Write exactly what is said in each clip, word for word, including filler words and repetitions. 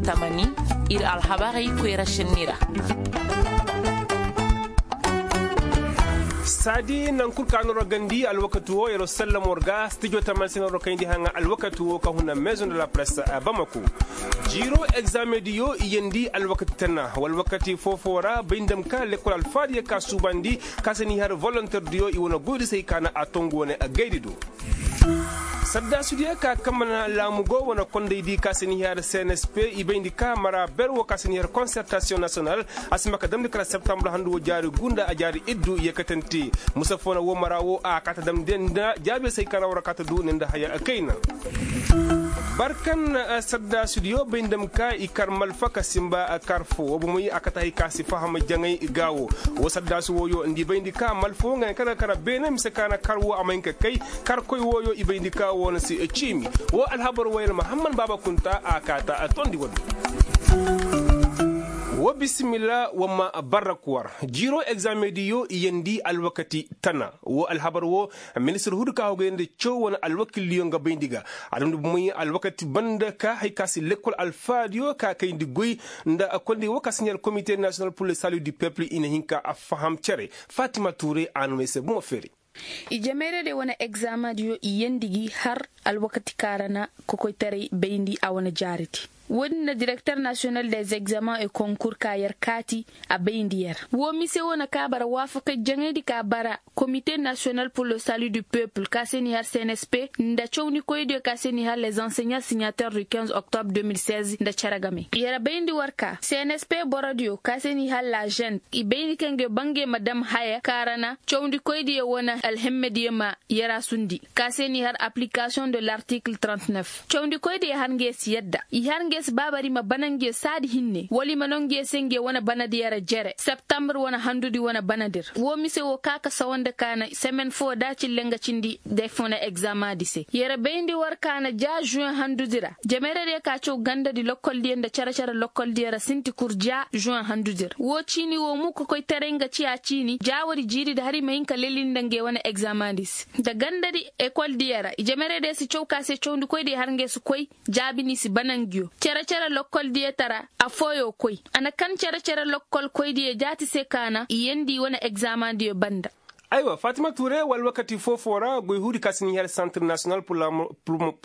Tamani, ir alhabarey koyra šenni ra. Saadi nankul ka no ra gandi alwakati wo yer wa sallam war ga stijo tamani se no ra kayndi haŋa alwakati wo ka huna maison de la presse. Bamako, jiiro egzaame diyo i yandi alwakati tana wa alwakati foo-foo ra bay nda ma ka lekkol alfaadiyo ka suubandi ka se ni har volonter diyo i wane goydi se ay ka na a tongu wane gaydi do. Saddaasudiyo ka kambe na laamu go wane kondaydi ka se ni har cnsp i bayndi ka mara ber wo ka se ni har konsertasiyoŋ nasiyonal a si ma ka damndi kala septambur handu wo jaari gu nda a jaari iddu yeekatante. Musa foo na woo mara wo a kaata damndi nda jaabiyo se ay ka na war a kaata du ne nda haya kayna. Barkan saddaasudiyo bay nda ma ka i kar malfa ka simba kar foo woo bomey a kate hay ka si faham jaŋay ga woo. Woo saddaasu wooyo nda i bayndi ka malfa woo nga ne kar ga kar beene mise ka na kar woo a ma hin ka kay. Karkoy wooyo i bayndi ka woo na si ciimi. Woo alhabar wooyo na mahamman baaba kunta a kaata tondi woo do. Woo bisimilla wa ma barrak war jiiro egzaame diyo i yandi alwakati tana. Woo alhabar woo ministir hudu ka hogay nda caw wane alwakildiyo nga bayndi ga. A damndi bomey alwakati banda ka hay ka si lekkol alfaadiyo ka kayndi goy nda kondi woo ka si ɲaar komite nasiyonal pur le salu du pepul i na hin ka a faham cere. Fatima tuure a na may se bomo feeri. I jameerey day wane egzaamaadiyo i yeendi gi har alwakati kaŋ a ra na kokoytaray bayndi a wane jaaridi. Woodin na direkter nasiyonal des egzaamen e konkur ka yer kaati a bayndi yer. Woo mise wane ka bara waafakay jaŋaydi ka bara komite nasiyonal pur le salu du pepul ka se ni har cnsp nda cawndikoydiyo ka se ni har les anseɲa siɲater du kinze oktobre deux mille seize nda cere game yer bayndi war ka cnsp borodiyo ka se ni har la žen i bayndi kaŋ ga bangey ma dam haya kaŋ a ra na cawndikoydiyo wane alhemmediyo ma yer a sundi ka se ni har aplikasiyoŋ de lartikil trente neuf cawndikoydiyo har nga yer si yadda i har nga yer si baabari ma bana nga yer saadi hinne wala i ma no nga yer se nga yer wane banadi yer a jere septambur wane handudi wane banadir woo mise woo ka ka sawandi ka na semen foo da cille nga cindi day foo na egzaamaadi se yer bayndi war ka na ja žuwen handudi ra jamerediyo ka caw gandadi lokkoldiyo nda cere-cere lokkoldiyo ra sinti kur ja žuwen handudi ra woo ciini woo mo kokoytaray nga ciya ciini ja woodi jiiridi har i ma hin ka leli nda ngey wane egzaamaadi se nda gandadi ekoldiyo ra i jamerediyo si caw ka se cawndikoydiyo har ngey si koy jaabi n'i si bana nguyo cere-cere lokkoldiyo tara afooyo koy a na kan cere-cere lokkolkoydiyo jaati se ka na i yeendi wane egzaamaadiyo banda. Aywa fatima tuure wala wakati foo-foo ra goy huudi ka si ni har santir nasiyonal pur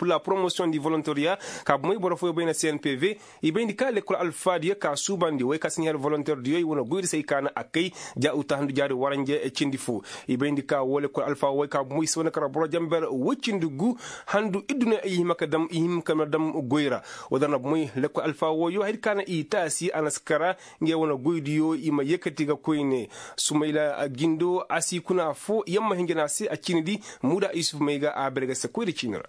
la promosiyoŋ di volonteriya ka bomey boro fooyo bay na cnpv i bayndi ka lekkol alfaadiyo ka suubandi wey ka si ni har volonterdiyo i wane goydi se ay ka na a kay ja uta handu jaari waranje cindi foo i bayndi ka woo lekkol alfaa wooyo ka bomey si wane kara boro jamber woy cindi gu handu iddu no i hima ka dam i hima ka dam goy ra. Woo da na bomey lekkol alfaa wooyo hayadi ka na i taasi a na si kara ngey wane goydiyo i ma yeekati ga koyne sumayla gindo a si kuna foo yamma hinja na a se a ciinidi muuda yusuf may ga a bare ga se koyra ciini ra.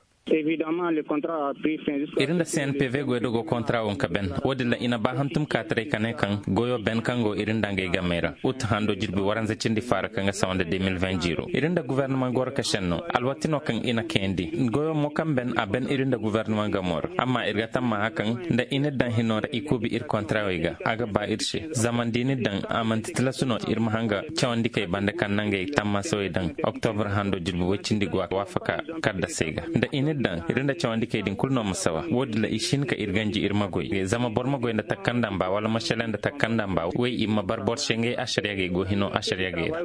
Ir nda cnpv goydogo kontra wo nka ben woodin ra i na ba hantum kaataray ka ne kaŋ goyo ben kaŋ go ir nda ngey gamey ra ut hando jirbi waranza cindi faara kaŋ ga sawa nda deux mille vingt jiiro ir nda guverneman goro ka senno alwati no kaŋ i na kayandi goyo mo kaŋ ben a ben ir nda guverneman gamo ra amma ir ga tammaha kaŋ nda i na daŋ hino ra i kuubi ir kontrawey ga a ga ba ir se zama nda i na daŋ a manti tilasu no ir ma hanga cawandikey banda kaŋ nangey tammaasawey daŋ oktobur hando jirbi woy cindi go a waafaka kaddasey ga nda i na daŋ ir nda cawandikey din kulu no ma sawa woodin ra i si hin ka ir ganji ir ma goy zama boro ma goy nda takkandamba wala ma sele nda takkandamba wey i ma bar boro se ngey asariya ga i go hino asariya ga i ra.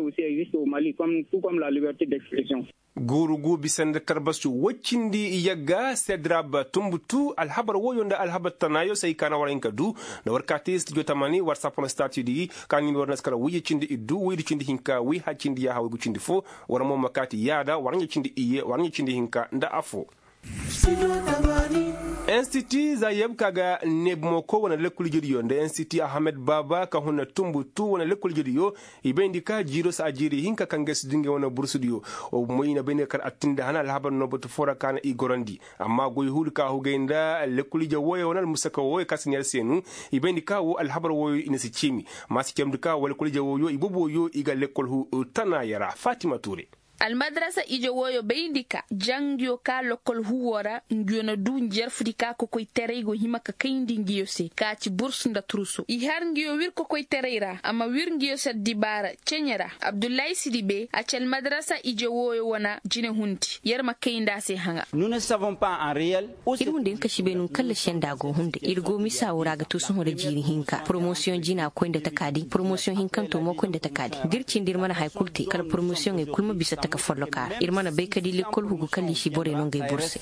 Guuru gu bisa nda tarbasu woy cindi yagga sedrab tumbutu alhabar woyo nda alhabar tanaayo se ay ka na war hin ka du nda war kaati studio tamani war sapon stati di ka ni war na si kara wiyye cindi iddu wiyye cindi hinka wiyye hay cindi yaaha wiyye gu cindi fo war mo ma kaati yaada war ɲa cindi iyye war ɲa cindi hinka nda afo. Institu zayeb ka ga neebu mo koy wane lekkol ijediyo nda institu ahamed baaba ka huna tumbutu wane lekkol ijediyo i bayndi ka jiiro se a jiiri hinka kaŋ ga ay si du ngey wane bursudiyo. Wa bomo i na bayndi ga kar attindi hana alhabar no batu foo ra ka na i gorandi amma goy huudi ka hugay nda lekkol ije wooyo wane almusaka wooyo ka si neer seenu i bayndi ka woo alhabar wooyo i na si ciimi. Ma si cemndi ka woo lekkol ije wooyo i bobo wooyo i ga lekkol hu tanaaya ra fatima tuure. Almadarasa ije wooyo bayndi ka ja nguyo ka lokkol huwoo ra, nguyo na duu njarfudi ka kokoytaray go hima ka kayndi nguyo se ka ci burs nda turso i har nguyo wir kokoytaray ra a ma wir nguyo se addibaara ceɲe ra. Abdullahi sidibe a ci almadarasa ije wooyo wane jinehundi. Yer ma kay nda a se haŋa. Ir wunda hin ka si bay no nga kallasi yaŋ da a go hunday ir go misa woo ra a ga to sohõ nda jiiri hinka poromosiyoŋ jina koy nda taka din poromosiyoŋ hinkanto mo koy nda taka din da ir cindi ir mana haya kul te kala poromosiyoŋey kul ma bisa taka follokaa ra ir mana bay ka di lekkol hugu kala i si borey no ngey bur se.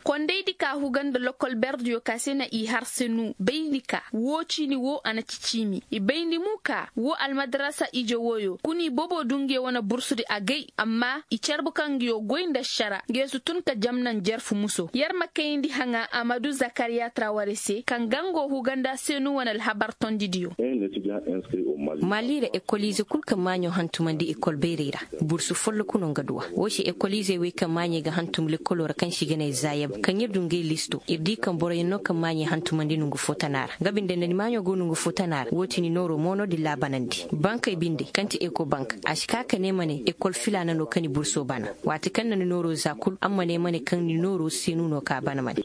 Kondaydi ka huga nda lokkol berdiyo ka se na i har se nu bayndi ka woo ciini woo a na ci ciimi i bayndi mo ka woo almadarasa ije wooyo kuna i bobo du nguyo wane bursudi agay amma i carbu kaŋ nguyo goy nda ašara nguyo si tun ka jam naŋ jarfu muso yer ma kayandi haŋa amadu zakariya traware se kaŋ ga ngo huga nda seenu wane alhabar tondidiyo. Maali ra ekoliize kul kaŋ maaɲo hantumandi ekol bayray ra bursu folloku no nga du a woo se ekoliizey wey kaŋ maaɲey ga hantum lekkoloo ra kaŋ se i ga ne zayeb kaŋ ir du ngey listo ir di kaŋ boroyaŋ no kaŋ maaɲey hantumandi nongu foo tana ra nga binde nda ni maaɲo go nongu foo tana ra woo ti ni nooroo mo no da i laabanandi bankey binde kaŋ ti ekobank a si ka ka ne ma ne ekol filaana no kaŋ ni burso bana waati kaŋ na ni nooroo za kul a ma ne ma ne kaŋ ni nooroo seenu no ka bana ma ne.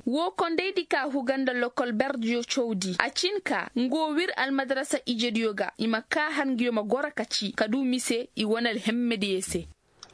Woo kondaydi ka huga nda lokol berdiyo cawdi a cin ka nga woo wir almadarasa ijediyo ga i ma kaa har nguyo ma goro ka ci ka duu mise i wane alhemmediyey se.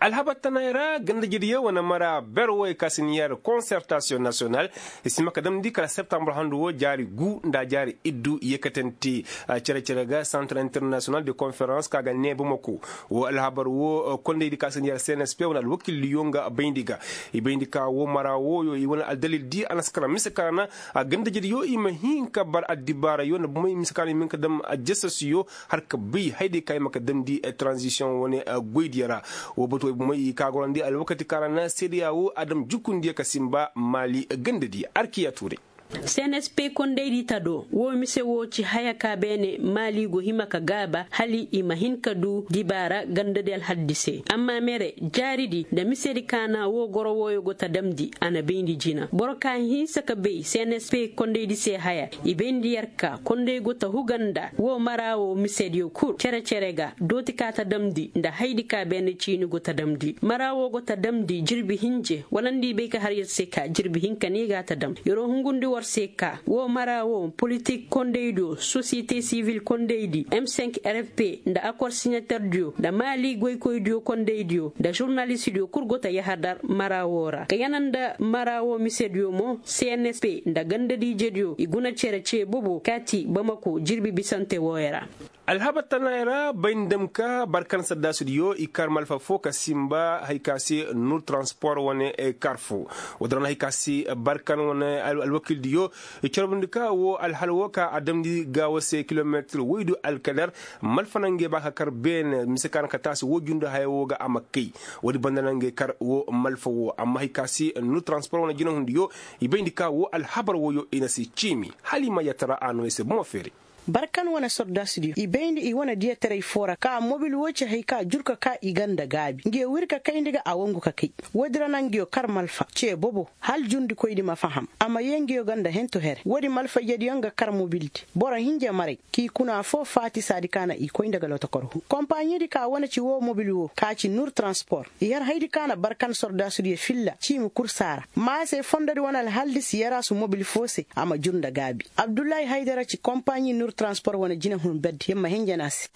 Alhabar tanay ra gandajediyo wane mara ber wooyo ka si ni yer konsertasiyoŋ nasiyonal i si hima ka damndi kala septambur handu woo jaari guu nda jaari iddu yeekatante cere-cere ga santar internasiyonal de konferans ka ga nee bamako. Woo alhabar woo kondaydi ka si ni yer cnsp wane alwakildiyo nga bayndi ga i bayndi ka woo mara wooyo i wane aldalildi a na si kara mise ka ra na gandajediyo i ma hin ka bar addibaarayo nda bomey mise ka ra i ma hin ka dam jasasiyo har ka bay hayday ka i ma ka damndi taranzisiyoŋ wane goydiyo ra. Woo batu wey bomey i ka gorandi alwakati ka ra na seedeya woo a dam jukundiyo ka sinba maali gandadiyo arkiya tuuray. Cnsp kondaydi tado woo mise woo ci haya ka beene maali go hima ka gaaba hala i ma hin ka duu dibaara gandadi alhaddi se amma mere jaaridi nda misedi ka na woo goro wooyo go ta damndi a na bayndi jina boro ka hinsa ka bay cnsp kondaydi se haya i bayndi yer ka konday go ta huga nda woo mara woo misediyo kul cere-cere ga dooti ka ta damndi nda haydi ka beene ciini go ta damndi mara woo go ta damndi jirbi hinje wala nda i bay ka har yer se ka jirbi hinka no i ga a ta dam yeroo hungundi war se ka woo mara woo politik kondaydiyo sosiyete sivil kondaydi m cinq rfp nda akor siɲaterdiyo nda maali goykoydiyo kondaydiyo nda žurnalistidiyo kul go ta yahadar mara woo ra ka yana nda mara woo misediyo mo cnsp nda gandadiijediyo i guna cere cee bobo kaati bamako jirbi bisante wooyo ra. Alhabar tanay ra bay nda dam ka barkan saddaasidiyo i kar malfa foo ka sinba haya ka se nur transpor wane kar foo. Woodin ra na haya ka se barkan wane alwakildiyo i carbundi ka woo alhal woo ka a damndi gaawo se kilometir woydu alkader malfa na ngey ba ka kar beene mise ka na ka taasi woo jundu haya woo ga a ma kay. Woodi banda na ngey kar woo malfa woo amma haya ka se nur transpor wane jinahundiyo i bayndi ka woo alhabar wooyo i na si ciimi hala i ma yattara a no i se bomo feeray. Barkan wane sordaasidiyo i bayndi i wane diyataray foo ra ka mobil woo ci haya ka jur ka ka i ga nda gaabi nguyo wir ka kayndi ga a wangu ka kay. Woodi ra na nguyo kar malfa cee bobo hala jundikoydi ma faham a ma yee nguyo ga nda hentu here woodi malfa ijediyo nga kar mobildi boro hinja maray k'i kuna foo faati saadi ka na i koy nda ga lotokor huu kompaɲiidi ka wane ci woo mobil woo ka ci nur transpor i har haydi ka na barkan sordaasudiyo filla ciimi kursaa ra maa se fondodi wane alhaldi si yaraasu mobil foo se a ma jur nda gaabi abdullahi haydara ci kompaɲi nur transpor wane jinehun berdi yer ma hinja ne a se.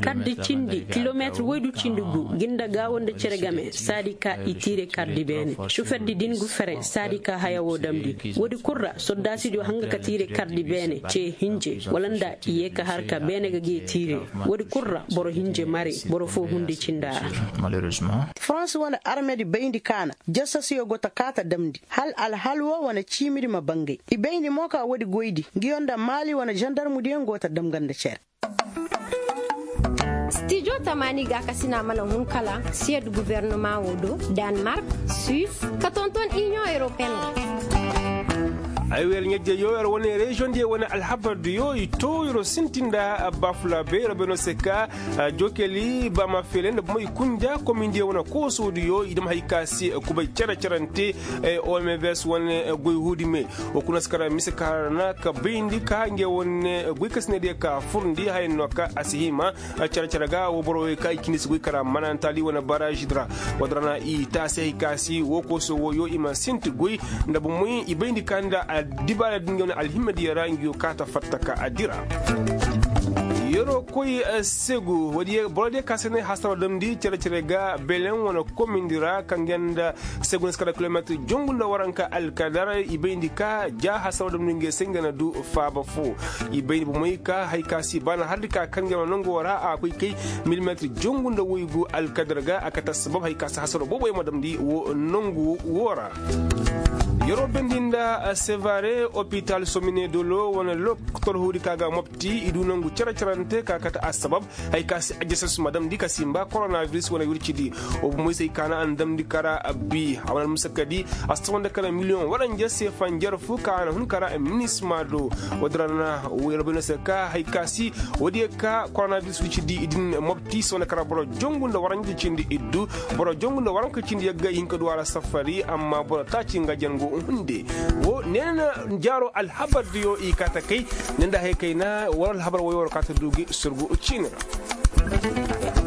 Kardi cindi kilometir woydu cindi gu gi nda gaawo nda cere game saadi ka i tiire kardi beene soferdi din gu fere saadi ka haya woo damndi woodi kul ra sordaasidiyo hanga ka tiire kardi beene cee hinje wala nda i yee ka har ka beene ga gee tiire woodi kul ra boro hinje mari boro foo hundi cindaa ra. Farans wane armedi bayndi ka na jasasiyo go ta kaa ta damndi hala alhal woo wane ciimidi ma bangay i bayndi mo ka woodi goydi nguyo nda maali wane žandarmudiyo go ta dam ga nda cere. Stijo tamaani gaakasina mana hun kala siyed guvernama woo do, danmark, suis, ka tonton iniyoŋ europeen ra. Ay wer ɲajjey yo yer wane reziyoŋ diyo wane alhabar diyo i too yer'o sintin nda baafulaa bay yer bay no se ka jokeli baama feele nda bomo i kunja komin diyo wane kooso diyo i dam hay ka se kubay cere-cerante. Ombs wane goy huudi me wo kuna si kara mise ka hara na ka bayndi ka ngey wane goy kasiney diyo ka furndi haya no ka a si hima care-care ga wo boro wey ka i cindi si goy kara manantali wane barazi di ra. Wo- din ra na i taasi hay ka si wo kooso wo yo i ma sinti goy nda bomoy i bayndi ka nda addibaara din ga wane alhimma diyo ra nga yo kaata fatta ka a dira. Yer'o koy segu wo- diyo boro diyo ka se ne hasaro damndi care-care ga beleŋ wane komindi ra kaŋ ga nda segu na si kara kilometir jongu nda waranka alkadar i bayndi ka ja hasaro damndi nga se nga na du faaba fo. I bayndi bomoy ka hay ka si baana hardi ka kaŋ ga nongo ra a koy kay milimetir jongu nda woygu alkadar ga a kate assabab hay ka si hasaro boobo yaŋ ma damndi wo nongu wo ra. Yer'o bendi nda sevare opital somine dolo wane lokotor huudi ka ga mopti i du nongu care-carante ka kate assabab hay ka si ajasas ma damndi ka simba koronabiris wane wircidi. Wo bomoy se hay ka na a na damndi kara bi a wane almusakadi a si tawandi kara miliyoŋ waranjar se fanjar fu ka a na hun kara minisma do. Wo- din ra na wo yer bay no se ka hay ka si wo- diyo ka koronabiris wircidi i din mopti se wane kara boro jongu nda waranjar cindi iddu boro jongu nda waranka cindi yagga i hin ka du a ra safari amma boro taaci nga jango hunde. Wo neena jaaro alhabar diyo i kaata kay ne nda hay kayna wala alhabar woyo war kaata du gi surgu ciini ra.